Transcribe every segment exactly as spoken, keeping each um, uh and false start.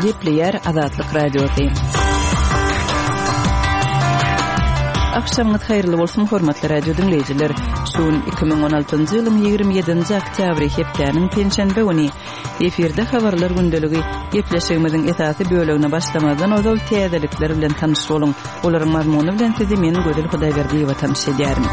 Gepleýär Azatlyk Radiosy. Akşamyňyz haýyrly bolsun, hormatly radio diňleýjiler. Şu gün iki müň on altynjy ýylyň ýigrimi ýedinji oktýabry hepdäniň penşenbe güni. Efirde habarlar gündeligi. Gepleşigimiziň esasy bölegine başlamazdan ozal täzelikler bilen tanyş boluň. Olaryň mazmuny bilen sizi men Gözel Hudaýberdiýewa tanyş edýärin.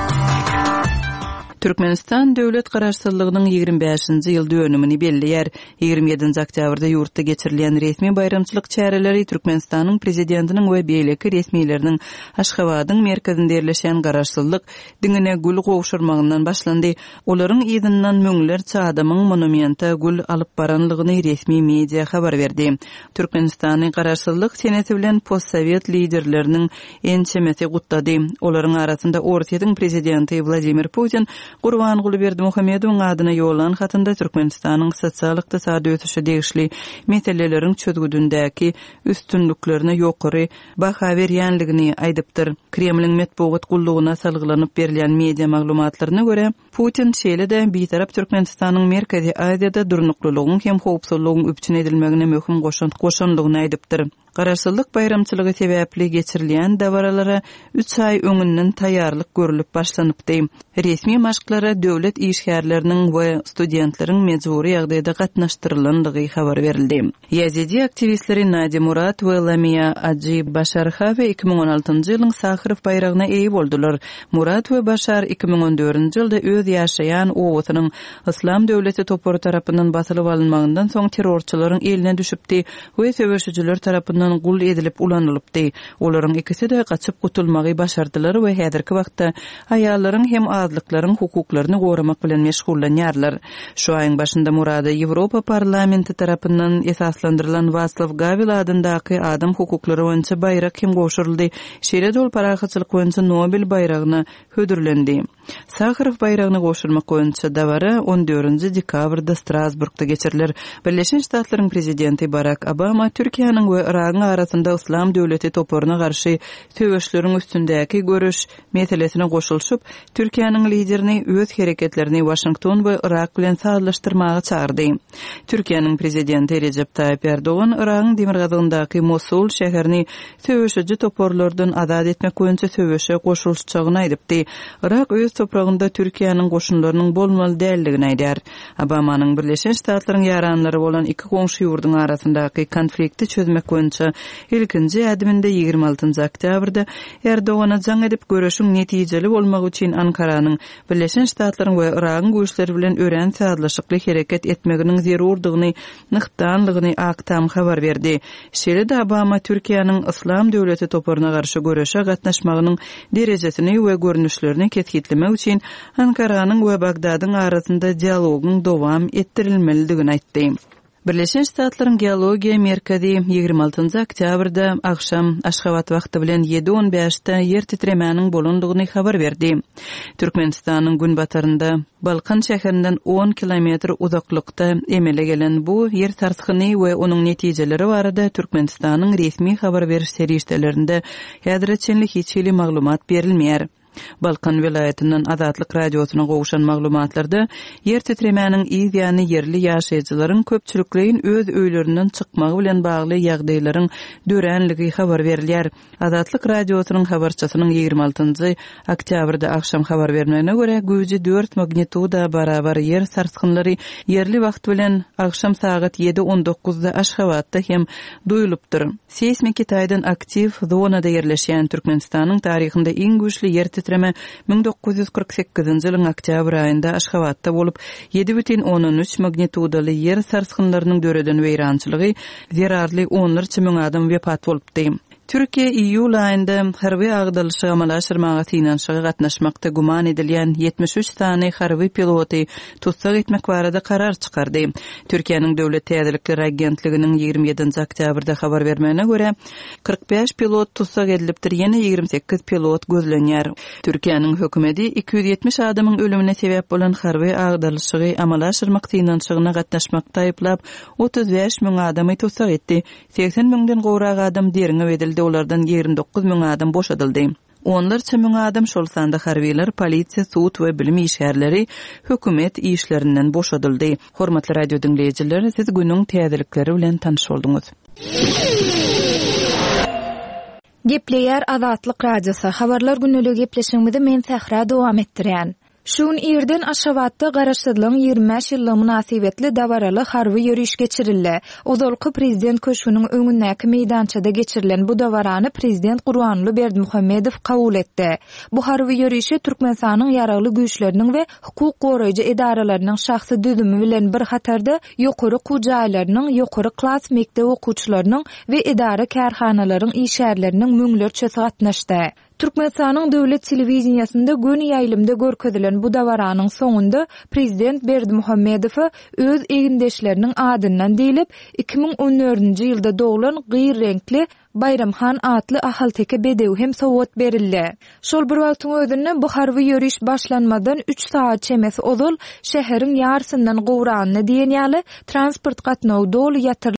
Türkmenistan döwlet garaşsyzlygynyň ýigrimi bäşinji ýyl dönümini belleýär. Ýigrimi ýedinji oktýabrda ýurtda geçirilýän resmi baýramçylyk çäreleri Türkmenistanyň prezidentiniň we beýleki resmileriniň Aşgabadyň merkezinde ýerleşen garaşsyzlyk diňine gül gowşurmagyndan başlandy. Olaryň yzyndan müňlerçe adamyň monumente gül alyp baranlygyny resmi media habar berdi. Türkmenistany garaşsyzlyk senesi bilen postsowet liderleriniň ençemesi gutlady. Olaryň arasynda Orsýetiň prezidenti Wladimir Putin Gurbanguly Berdimuhamedowyň adyna ýollan hatynda Türkmenistanyň sosial-ykdysady ösüşe degişli meseleleriň çözgüdündäki üstünliklerine ýokary baha berýänligini aýdypdyr. Kremliň metbugat gullugyna salgylanyp berilýän media maglumatlaryna görä, Putin şeýle-de Bitarap Türkmenistanyň Merkezi Aziýada durnuklylygyň hem howpsuzlygyň üpjün edilmegine möhüm goşant goşanlygyny aýdypdyr. Garaşsyzlyk baýramçylygy sebäpli geçirilýän dabaralara üç aý öňünden taýýarlyk görülip başlanypdy. Resmi maşklara döwlet işgärleriniň we studentleriň mejbury ýagdaýda gatnaşdyrylandygy habar berildi. Ýazidi aktiwistleri Nadi Murat we Lamia Aji Başar Hawe iki müň on altynjy ýylyň Saharow baýragyna eýe boldular. Murat we Başar iki müň on dördünji ýylda öz ýaşaýan obasynyň Islam döwleti topary tarapyndan basylyp alynmagyndan soň terrorçylaryň eline düşüpdi we söweşijiler tarapyndan gul edilip ulanylypdy. Olaryň ikisi-de gaçyp gutulmagy başardylar we häzirki wagtda aýallaryň hem azlyklaryň hukuklaryny goramak bilen meşgullanýarlar. Şu aýyň başynda Murada Ýewropa parlamenti tarapyndan esaslandyrylan Waslaw Gawel adyndaky adam hukuklary boýunça baýrak hem gowşuryldy. Şeýle-de ol parahatçylyk boýunça Nobel baýragyna hödürlendi. Saharow baýragyny gowşurmak boýunça dabara on dördünji dekabrda Strasburgda geçiriler. Birleşen Ştatlaryň prezidenti Barack Obama Türkiýäniň we Yragyň arasynda Islam döwleti toparyna garşy söweşleriň üstündäki görüş meselesine goşulyşyp, Türkiýäniň liderini öz hereketlerini Washington we Yrak bilen sazlaşdyrmaga çağırdy. Türkiýäniň prezidenti Recep Tayyip Erdogan Yragyň demirgazygyndaky Mosul şäherini söweşiji toparlardan azat etmek boýunça söweşe goşulyşjagyny aýdypdy. Yrak öz topragynda Türkiýäniň goşunlarynyň bolmaly däldigini aýdar. Obamanyň Birleşen Ştatlaryň ýaranlary bolan iki goňşy ýurduň arasyndaky konflikti çözmek boýunça ilkinji ädiminde ýigrimi altynjy oktýabrda Erdogana jaň edip görüşiň netijeli bolmagy üçin Ankaranyň Birleşen Ştatlaryň we Yragyň güýçleri bilen örän sazlaşykly hereket etmeginiň zerurdygyny nygtanlygyny Ak Tam habar berdi. Şeýle-de Obama Türkiýäniň Islam döwleti toparyna garşy göreşe gatnaşmagynyň derejesini we görnüşlerini kesgitlemek üçin Ankaranyň we Bagdadyň arasynda dialogyň dowam etdirilmelidigini aýtdy. Birleşen Ştatlaryň Geologiýa merkezi ýigrimi altynjy oktýabrda agşam Aşgabat wagty bilen ýedi on bäşde ýer titremäniň bolandygyny habar berdi. Türkmenistanyň günbatarynda Balkan şäherinden on kilometr uzaklykda emele gelen bu ýer sarsgyny we onuň netijeleri barada Türkmenistanyň resmi habar beriş serişdelerinde häzire çenli hiç hili maglumat berilmeýär. Balkan welaýatyndan Azatlyk radiosyna gowşan maglumatlarda ýer titremäniň yz ýany ýerli ýaşaýjylaryň köpçülikleýin öz öýlerinden çykmagy bilen bagly ýagdaýlaryň döränligi habar berilýär. Azatlyk radiosynyň habarçysynyň ýigrimi altynjy oktýabrda agşam habar bermegine görä, güýji dört magnituda barabar ýer sarsgynlary ýerli wagt bilen agşam sagat ýedi on dokuzda Aşgabatda hem duýulypdyr. Seýsmiki taýdan aktiw zonada ýerleşýän Türkmenistanyň taryhynda iň güýçli ýer titreme müň dokuz ýüz kyrk sekizinji ýylyň oktýabr aýynda Aşgabatda bolup, ýedi bütin ondan üç magnitudaly ýer sarsgynlarynyň döreden weýrançylygy zerarly onlarça müň adam wepat bolupdy. Türkiýe iýul aýynda harby agdalyşygy amala aşyrmaga synanyşyga gatnaşmakda güman edilýän ýetmiş üç sany harby piloty tussag etmek barada karar çykardy. Türkiýäniň Döwlet Täzelikler Agentliginiň ýigrimi ýedinji oktýabrda habar bermegine görä, kyrk bäş pilot tussag edilipdir, ýene ýigrimi sekiz pilot gözlenýär. Türkiýäniň hökümeti iki ýüz ýetmiş adamyň ölümine sebäp bolan harby agdalyşygy amala aşyrmak synanyşygyna gatnaşmakda aýyplap, otuz bäş müň adamy tussag etdi. Seksen müňden gowrak adam derňew edildi, olardan ýigrimi dokuz müň adam boşadyldy. Onlarça müň adam, şol sanda harbylar, polisiýa, sud we bilim işgärleri hökümet işlerinden boşadyldy. Hormatly radio diňleýjiler, siz günüň täzelikleri bilen tanyş bolduňyz. Gepleýär Azatlyk Radiosy, Habarlar gündeligi gepleşigimizi men Sähra dowam etdirýän. Şu gün irden Aşgabatda Garaşsyzlygyň ýigrimi bäş ýyllygy mynasybetli dabaraly harby ýöriş geçirildi. Ozalky Prezident köşgüniň öňündäki meýdançada geçirilen bu dabarany Prezident Gurbanguly Berdimuhamedow kabul etdi. Bu harby ýörişe Türkmenistanyň Ýaragly Güýçleriniň we hukuk goraýjy edaralarynyň şahsy düzümi bilen bir hatarda ýokary okuw jaýlarynyň, ýokary klas mekdep okuwçylarynyň we edara-kärhanalaryň işgärleriniň müňlerçesi gatnaşdy. Türkmenistanyň döwlet telewideniýesinde göni ýaýlymda görkezilen bu dabaranyň soňunda prezident Berdimuhamedowa öz egindeşleriniň adyndan diýlip, iki müň on dördünji ýylda doglan gyr reňkli Baýram han atly ahalteke bedewi hem sowgat berildi. Şol bir wagtyň özünde bu harby ýöriş başlanmazdan üç sagat çemesi ozal şäheriň ýarysyndan gowragyna diýen ýaly transport gatnawy doly ýatyrylyp,